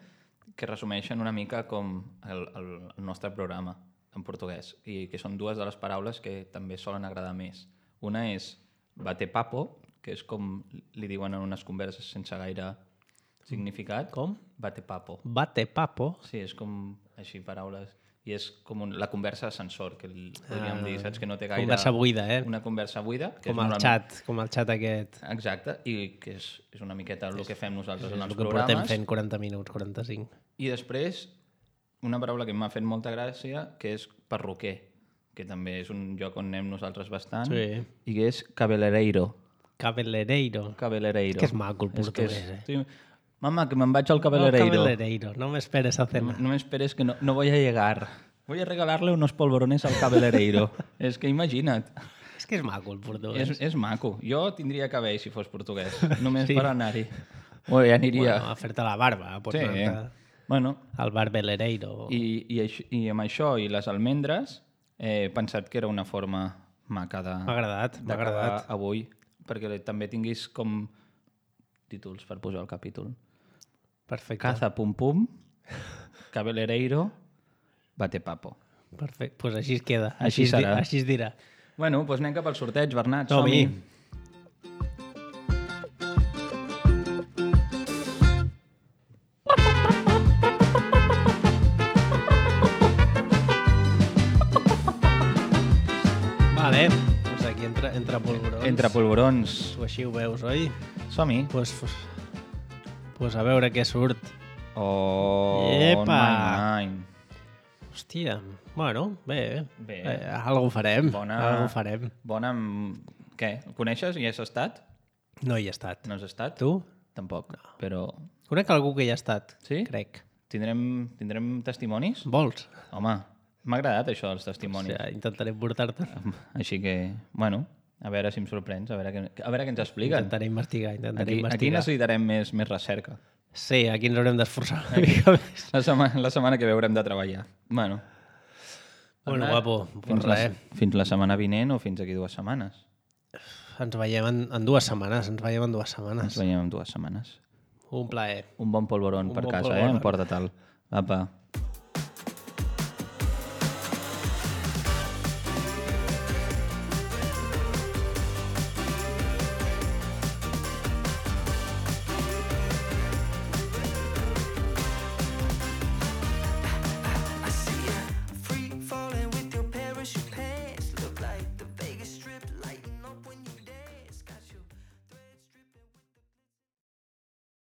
que resumeixen una mica com el, el, el nostre programa en portuguès, i que són dues de les paraules que també solen agradar més. Una és bate-papo, que és com li diuen en unes converses sense gaire significat. Com? Bate-papo. Bate papo. Sí, és com així paraules. I és com un, la conversa ascensor, que el- podríem dir, saps? Que no té gaire... Conversa buida, eh? Una conversa buida. Que Com és el normalment- xat, com el xat aquest. Exacte, i que és, és una miqueta el que fem nosaltres en El els que portem programes. fent quaranta minuts, quaranta-cinc. I després, una paraula que m'ha fet molta gràcia, que és perruquer, que també és un lloc on anem nosaltres bastant, Sí. i que és cabeleireiro. Cabellereiro. Cabeleireiro. Que és maco el És que portuguès, és- eh? Estoy- Mama, que me'n vaig al No, cabeleireiro. cabellereiro. No me esperes a No, cenar. no me esperes que no, no voy a llegar. Voy a regalarle unos polvorones al cabeleireiro. És que imagina't. És que és maco el portuguès. És, és maco. Jo tindria que haver si fos portuguès, només sí. per anar-hi. O ja aniria... Bueno, a fer-te la barba. Pots sí. anar-te bueno. al bar Belereiro. I, i, això, I amb això i les almendres he pensat que era una forma maca de... M'ha agradat, m'ha agradat. Avui, perquè també tinguis com títols per posar el capítol. Perfecte. Caza pum pum, Cabelereiro, bate papo. Perfecte, doncs pues així es queda. Així, així serà. Di, així es dirà. Bueno, doncs anem cap al sorteig, Bernat. Som-hi. Vale, doncs aquí entra, entra polvorons. Entre polvorons. Tu així ho veus, oi? Som-hi. Doncs pues, pues a veure què surt. Oh, Epa! nine. Hòstia, bueno, bé. Bé. Eh, algo farem. Bona... Algo farem. Bona... Què? El coneixes? I has estat? No hi he estat. No has estat? Tu? Tampoc, no. Però... Conec algú que hi ha estat, sí? crec. Tindrem, tindrem testimonis? Vols? Home, m'ha agradat això dels testimonis. O sigui, intentaré portar-te. Així que, bueno, a veure si em sorprens, a veure, què, a veure què ens expliquen. Intentaré investigar, intentaré aquí, investigar. Aquí necessitarem més, més recerca. Sí, aquí ens haurem d'esforçar una mica més. La setmana, la setmana que ve haurem de treballar. Bueno, bueno Bernat, guapo, fins, pues la, res. fins la setmana vinent o fins aquí dues setmanes? Ens veiem en, en dues setmanes, ens veiem en dues setmanes. Ens veiem en dues setmanes. Un plaer. Un bon polvoron Un per bon casa, polvoron. eh? Emporta-te'l. Apa.